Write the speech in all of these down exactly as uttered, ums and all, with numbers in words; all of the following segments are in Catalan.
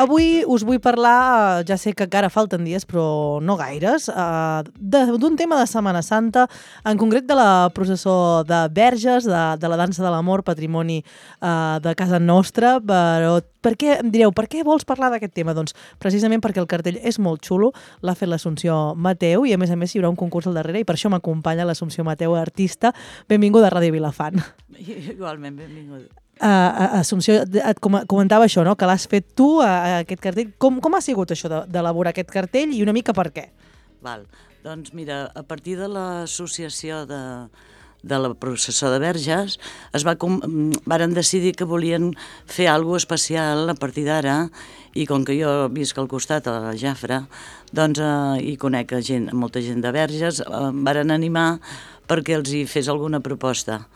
Avui us vull parlar, ja sé que encara falten dies, però no gaires, d'un tema de Setmana Santa, en concret de la processó de Verges, de, de la dansa de l'amor, patrimoni uh, de casa nostra, però per què, em direu, per què vols parlar d'aquest tema? Doncs precisament perquè el cartell és molt xulo, l'ha fet l'Assumpció Mateu i a més a més hi haurà un concurs al darrere i per això m'acompanya l'Assumpció Mateu, artista. Benvinguda a Ràdio Vilafant. Igualment, benvinguda. Uh, Assumpció, et comentava això, no? Que l'has fet tu, uh, aquest cartell. Com, com ha sigut això d'elaborar aquest cartell i una mica per què? Val. Doncs mira, a partir de l'associació de, de la processó de Verges es va, varen decidir que volien fer alguna cosa especial a partir d'ara i com que jo visc al costat a la Jafra doncs, eh, i conec gent, molta gent de Verges, eh, em varen animar perquè els hi fes alguna proposta.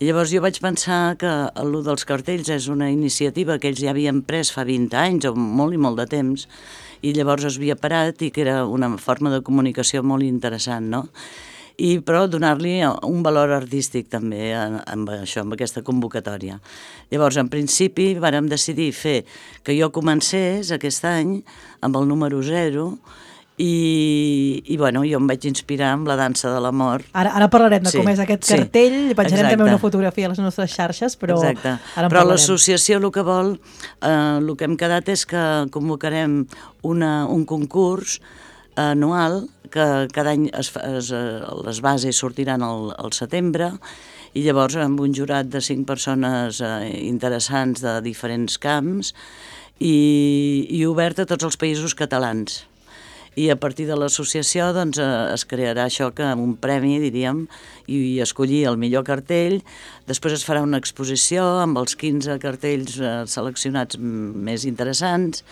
I llavors jo vaig pensar que l'U dels cartells és una iniciativa que ells ja havien pres fa vint anys o molt i molt de temps i llavors es havia parat i que era una forma de comunicació molt interessant, no? I però donar-li un valor artístic també amb això, amb aquesta convocatòria. Llavors, en principi, vàrem decidir fer que jo comencés aquest any amb el número zero i, i bueno, jo em vaig inspirar amb la dansa de l'amor. Ara, ara parlarem de sí, com és aquest sí, cartell, penjarem exacte. també una fotografia a les nostres xarxes, però exacte. ara en però parlarem. L'associació el que vol, eh, el que hem quedat és que convocarem una, un concurs anual que cada any es, es, les bases sortiran al, al setembre i llavors amb un jurat de cinc persones eh, interessants de diferents camps i, i obert a tots els països catalans. I a partir de l'associació doncs, es crearà això que un premi, diríem, i escollir el millor cartell. Després es farà una exposició amb els quinze cartells seleccionats més interessants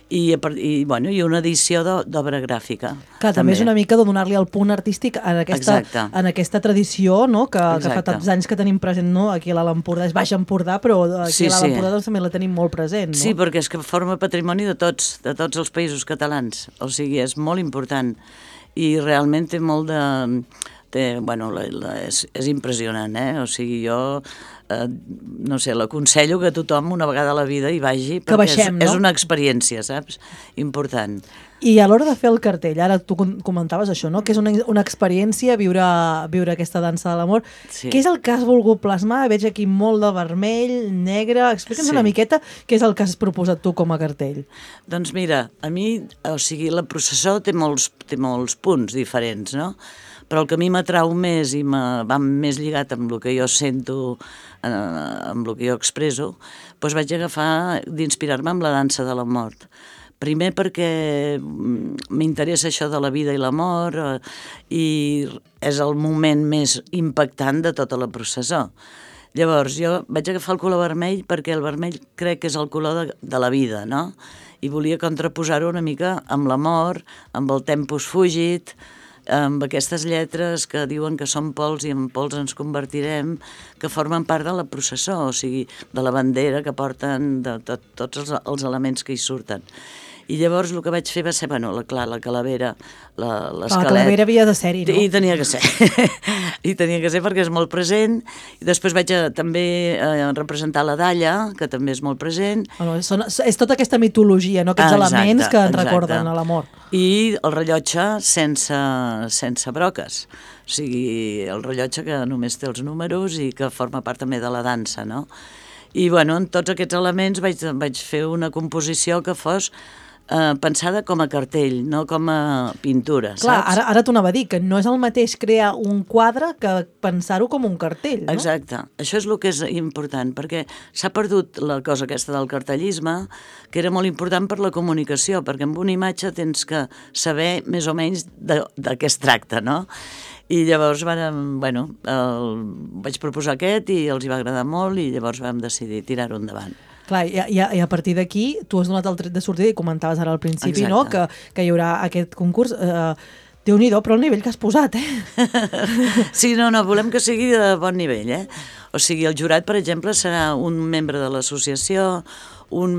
i, i, bueno, i una edició d'obra gràfica. Que també és una mica de donar-li el punt artístic en aquesta, en aquesta tradició, no? que, que fa tants anys que tenim present, no? Aquí a l'Alt Empordà, és Baix Empordà, però aquí sí, a l'Alt Empordà doncs, també la tenim molt present. No? Sí, perquè és que forma patrimoni de tots, de tots els països catalans, o sigui, és molt important i realment té molt de... Té, bueno, la, la, és, és impressionant, eh? O sigui, jo, eh, no sé, l'aconsello que tothom una vegada a la vida hi vagi, perquè baixem, és, no? és una experiència, saps? Important. I a l'hora de fer el cartell, ara tu comentaves això, no? Que és una, una experiència viure, viure aquesta dansa de l'amor. Sí. Què és el que has volgut plasmar? Veig aquí molt de vermell, negre... Explica'ns sí. una miqueta què és el que has proposat tu com a cartell. Doncs mira, a mi, o sigui, la processó té molts, té molts punts diferents, no? Però el que a mi m'atrau més i va més lligat amb el que jo sento, eh, amb el que jo expresso, doncs vaig agafar d'inspirar-me amb la dansa de la mort. Primer perquè m'interessa això de la vida i la mort eh, i és el moment més impactant de tota la processó. Llavors jo vaig agafar el color vermell perquè el vermell crec que és el color de, de la vida, no? I volia contraposar-ho una mica amb la mort, amb el tempus fugit, amb aquestes lletres que diuen que som pols i en pols ens convertirem, que formen part de la processó, o sigui, de la bandera que porten, de tot, tots els, els elements que hi surten. I llavors el que vaig fer va ser, bueno, la, clar, la calavera, l'esquelet... La calavera havia de ser-hi, no? I tenia que ser. I tenia que ser perquè és molt present. I després vaig a, també a representar la dalla, que també és molt present. Bueno, són, és tota aquesta mitologia, no? Aquests ah, exacte, elements que ens exacte. recorden a la mort. I el rellotge sense, sense broques. O sigui, el rellotge que només té els números i que forma part també de la dansa, no? I, bueno, en tots aquests elements vaig, vaig fer una composició que fos eh, pensada com a cartell, no com a pintura, Clar, saps? Ara, ara t'ho anava a dir, que no és el mateix crear un quadre que pensar-ho com un cartell, no? Exacte. Això és el que és important, perquè s'ha perdut la cosa aquesta del cartellisme, que era molt important per la comunicació, perquè amb una imatge tens que saber més o menys de, de què es tracta, no? I llavors vam, bueno, el, vaig proposar aquest i els hi va agradar molt i llavors vam decidir tirar-ho endavant. Clar, i, i, i a partir d'aquí tu has donat el tret de sortida i comentaves ara al principi, Exacte. no? que, que hi haurà aquest concurs. Eh, Déu-n'hi-do, però el nivell que has posat, eh? Sí, no, no, volem que sigui de bon nivell, eh? O sigui, el jurat, per exemple, serà un membre de l'associació, un,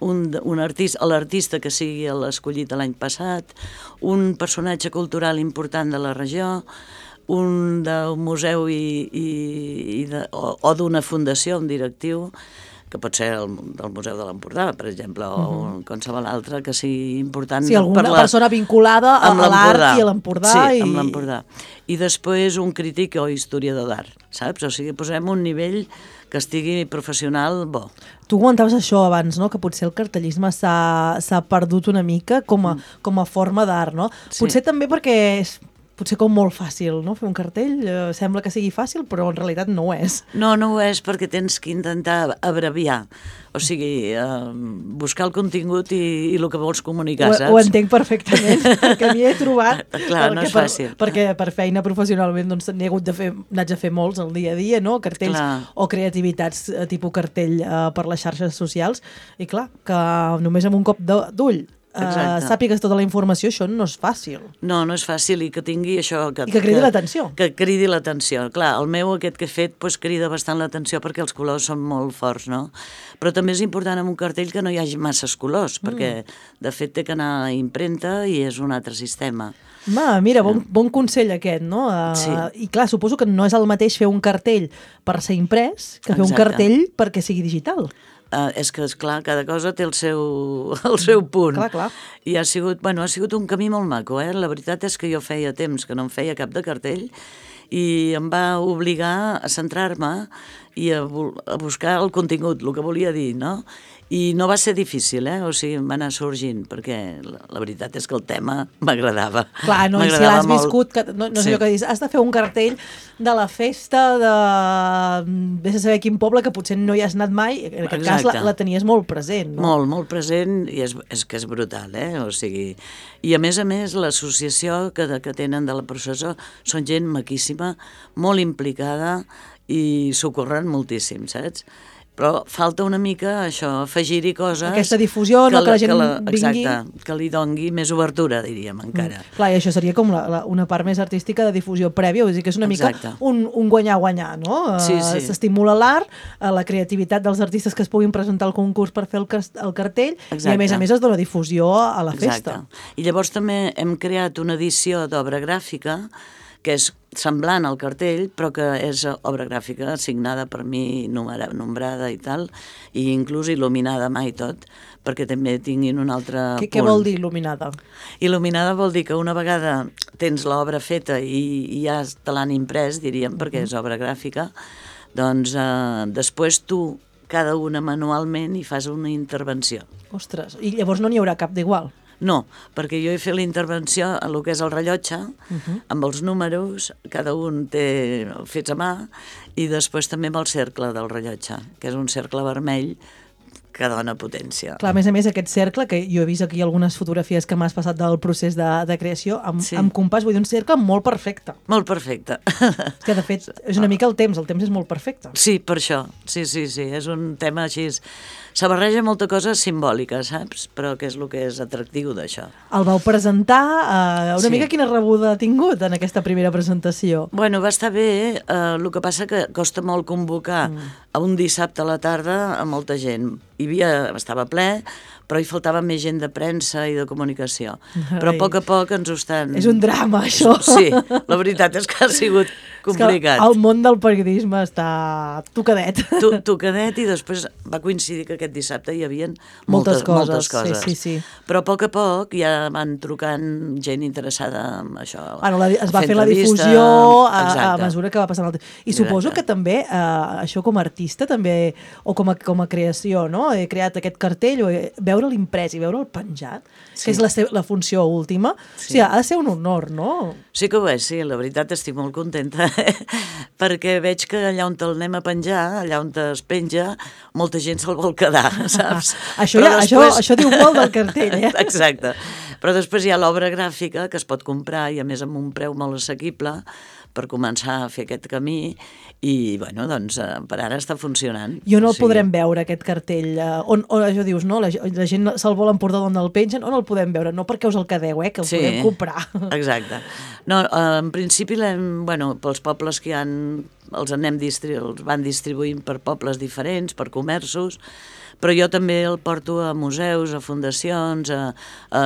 un, un artista, l'artista que sigui l'escollit l'any passat, un personatge cultural important de la regió, un d'un museu i, i, i de, o, o d'una fundació, un directiu, que pot ser el, del Museu de l'Empordà, per exemple, o uh-huh. qualsevol altre que sigui important. Sí, alguna per la, persona vinculada a, a l'art i a l'Empordà. Sí, i... amb l'Empordà. I després un crític o historiador d'art, saps? O sigui, posem un nivell que estigui professional bo. Tu comentaves això abans, no? Que potser el cartellisme s'ha perdut una mica com a, mm. com a forma d'art, no? Sí. Potser també perquè és potser com molt fàcil, no? Fer un cartell eh, sembla que sigui fàcil, però en realitat no ho és. No, no ho és perquè tens que intentar abreviar, o sigui, eh, buscar el contingut i, i el que vols comunicar, ho, saps? Ho entenc perfectament, perquè m'hi he trobat. Clar, no és per, fàcil. Perquè per feina professionalment doncs, n'he hagut de fer, n'haig de fer molts al dia a dia, no? Cartells clar. O creativitats eh, tipus cartell eh, per les xarxes socials, i clar, que només amb un cop d'ull Uh, sàpigues tota la informació, això no és fàcil. No, no és fàcil i que tingui això... Que, I que cridi l'atenció. Que cridi l'atenció. Clar, el meu aquest que he fet pues, crida bastant l'atenció perquè els colors són molt forts, no? Però també és important en un cartell que no hi hagi masses colors, mm. perquè de fet té que anar a impremta i és un altre sistema. Ma, mira, bon, bon consell aquest, no? Uh, sí. I clar, suposo que no és el mateix fer un cartell per ser imprès que fer Exacte. Un cartell perquè sigui digital. Uh, és que, esclar, cada cosa té el seu, el seu punt. Clar, clar. I ha sigut, bueno, ha sigut un camí molt maco, eh? La veritat és que jo feia temps que no em feia cap de cartell i em va obligar a centrar-me i a, a buscar el contingut, el que volia dir, no? I no va ser difícil, eh? O sigui, em va anar sorgint, perquè la, la veritat és que el tema m'agradava. Clar, no, i si l'has viscut, que, no, no sé sí. allò que dius, has de fer un cartell de la festa de... vés a saber quin poble, que potser no hi has anat mai, en aquest Exacte. Cas la, la tenies molt present, no? Molt, molt present, i és, és que és brutal, eh? O sigui... I a més a més, l'associació que, que tenen de la processó són gent maquíssima, molt implicada, i s'ocorren moltíssim, saps? Però falta una mica això, afegir-hi coses... Aquesta difusió, que, no, que la gent que la, exacte, vingui... que li dongui més obertura, diríem, encara. Mm. Clar, i això seria com la, la, una part més artística de difusió prèvia, vull dir que és una exacte. Mica un, un guanyar-guanyar, no? Sí, sí. S'estimula l'art, la creativitat dels artistes que es puguin presentar al concurs per fer el, el cartell, exacte. I a més a més es dona difusió a la festa. Exacte. I llavors també hem creat una edició d'obra gràfica que és semblant al cartell, però que és obra gràfica signada per mi, numera, nombrada i tal, i inclús il·luminada mai tot, perquè també tinguin un altre què, punt. Què vol dir il·luminada? Il·luminada vol dir que una vegada tens l'obra feta i, i ja te l'han imprès, diríem, perquè és obra gràfica, doncs eh, després tu, cada una manualment, hi fas una intervenció. Ostres, i llavors no n'hi haurà cap d'igual? No, perquè jo he fet la intervenció en el que és el rellotge, uh-huh. amb els números, cada un té fets a mà, i després també amb el cercle del rellotge, que és un cercle vermell que dona potència. Clar, a més a més, aquest cercle, que jo he vist aquí algunes fotografies que m'has passat del procés de, de creació, amb, sí. amb compàs, vull dir, un cercle molt perfecte. Molt perfecte. És que, de fet, és una mica el temps, el temps és molt perfecte. Sí, per això, sí, sí, sí, és un tema així... Se barreja molta cosa simbòlica, saps? Però què és el que és atractiu d'això? El vau presentar, eh, una sí. mica quina rebuda ha tingut en aquesta primera presentació? Bueno, va estar bé, eh, el que passa que costa molt convocar mm. a un dissabte a la tarda a molta gent. Hi havia, estava ple, però hi faltava més gent de premsa i de comunicació. Ai. Però a poc a poc ens ho estan... És un drama, això. Sí, la veritat és que ha sigut complicat. El món del periodisme està tocadet. Tu, tocadet, i després va coincidir que aquest dissabte hi havia moltes, moltes coses. Moltes coses. Sí, sí, sí. Però a poc a poc ja van trucant gent interessada en això. Bueno, la, es va fer la difusió a, a mesura que va passant el temps. I Exacte. Suposo que també, eh, això com a artista, també, o com a, com a creació, no? He creat aquest cartell, o veure l'imprès i veure el penjat, sí. que és la, la funció última, sí. O sigui, ha de ser un honor, no? Sí que ho és, sí, la veritat estic molt contenta, perquè veig que allà on te'l anem a penjar, allà on es penja, molta gent se'l vol quedar, saps? això, ja, després... això, això diu molt del cartell, eh? Exacte. Però després hi ha l'obra gràfica, que es pot comprar, i a més amb un preu molt assequible, per començar a fer aquest camí, i, bueno, doncs, per ara està funcionant. I on el o sigui... podrem veure, aquest cartell? On, on això dius, no? La, la gent se'l vol emportar d'on el pengen, on el podem veure? No perquè us el quedeu, eh? Que el sí, podem comprar. Exacte. No, en principi, l'hem, bueno, pels pobles que hi han els anem distri els van distribuint per pobles diferents, per comerços, però jo també el porto a museus, a fundacions, a, a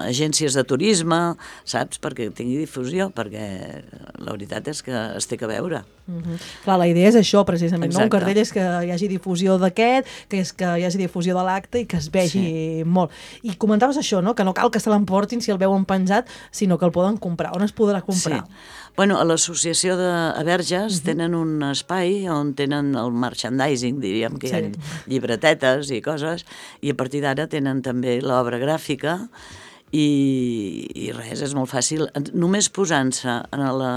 agències de turisme, saps? Perquè tingui difusió, perquè la veritat és que es té que veure. Mm-hmm. Clar, la idea és això, precisament, no? Un Exacte. cartell és que hi hagi difusió d'aquest, que és que hi hagi difusió de l'acte i que es vegi Sí. molt. I comentaves això, no? Que no cal que se l'emportin si el veuen penjat, sinó que el poden comprar. On es podrà comprar? Sí. Bueno, a l'associació de a Verges uh-huh. tenen un espai on tenen el merchandising, diríem, que sí. hi ha llibretetes i coses, i a partir d'ara tenen també l'obra gràfica, i, i res, és molt fàcil. Només posant-se en la...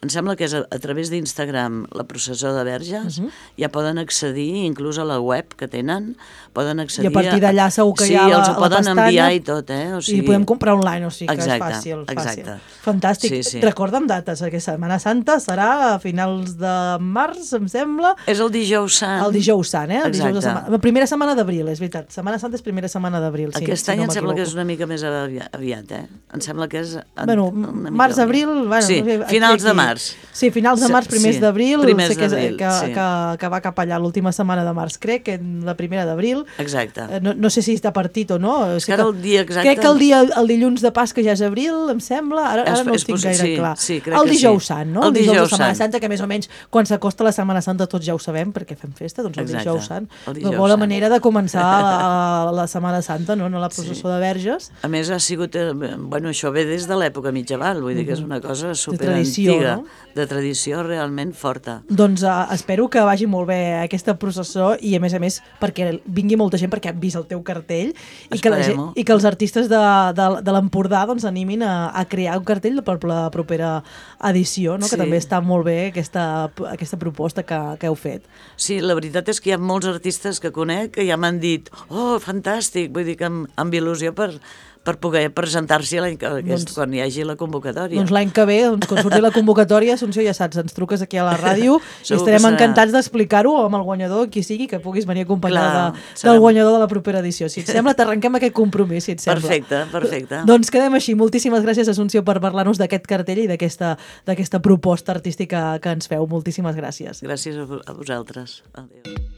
Em sembla que és a, a través d'Instagram la processó de Verges, uh-huh. ja poden accedir, inclús a la web que tenen, poden accedir... I a partir d'allà segur que sí, hi ha la, els ho la poden pestanya, enviar i tot, eh? O sigui... I podem comprar online, o sigui que exacte, és fàcil. fàcil. Exacte. Fantàstic. Sí, sí. Recorda'm dates, aquesta Setmana Santa serà a finals de març, em sembla. És el dijous sant. El dijous sant, eh? El exacte. dijous de setmana. La primera setmana d'abril, és veritat. Setmana Santa és primera setmana d'abril. Sí, Aquest si any no em sembla que és m'equivoco. una mica més aviat, eh? Em sembla que és... Bueno, març-abril... Bueno, sí, no sé, finals aquí, de març. Sí, finals de març, primers sí, d'abril, primers sé que, és, d'abril, que, sí. que, que va cap allà l'última setmana de març, crec, que la primera d'abril. Exacte. No, no sé si està partit o no. És que ara el dia exacte... Crec que el, dia, el dilluns de Pasca ja és abril, em sembla. Ara, ara no ho tinc gaire sí, clar. Sí, el dijous sí. sant, no? El, el dijous, dijous de Setmana sant. Santa, que més o menys quan s'acosta la Setmana Santa tots ja ho sabem, perquè fem festa, doncs el exacte. dijous sant. El dijous Una bona sant. manera de començar la, la Setmana Santa, no? No la processó sí. de Verges. A més, ha sigut... Bueno, això ve des de l'època mitjaval, vull dir que és una cosa super de tradició, antiga, no? de tradició realment forta. Doncs uh, espero que vagi molt bé aquesta processó i, a més a més, perquè vingui molta gent perquè han vist el teu cartell i que, la gent, i que els artistes de, de, de l'Empordà doncs, animin a, a crear un cartell per la propera edició, no? Sí. Que també està molt bé aquesta, aquesta proposta que, que heu fet. Sí, la veritat és que hi ha molts artistes que conec que ja m'han dit oh, fantàstic, vull dir que amb, amb il·lusió per... per poder presentar-s'hi doncs, quan hi hagi la convocatòria. Doncs l'any que ve, doncs, quan surti la convocatòria, Assumpció, ja saps, ens truques aquí a la ràdio i estarem encantats d'explicar-ho amb el guanyador, qui sigui, que puguis venir acompanyar de, serem... del guanyador de la propera edició. Si et sembla, t'arrenquem aquest compromís, si et sembla. Perfecte, perfecte. Doncs quedem així. Moltíssimes gràcies, Assumpció, per parlar-nos d'aquest cartell i d'aquesta proposta artística que ens feu. Moltíssimes gràcies. Gràcies a vosaltres. Adéu.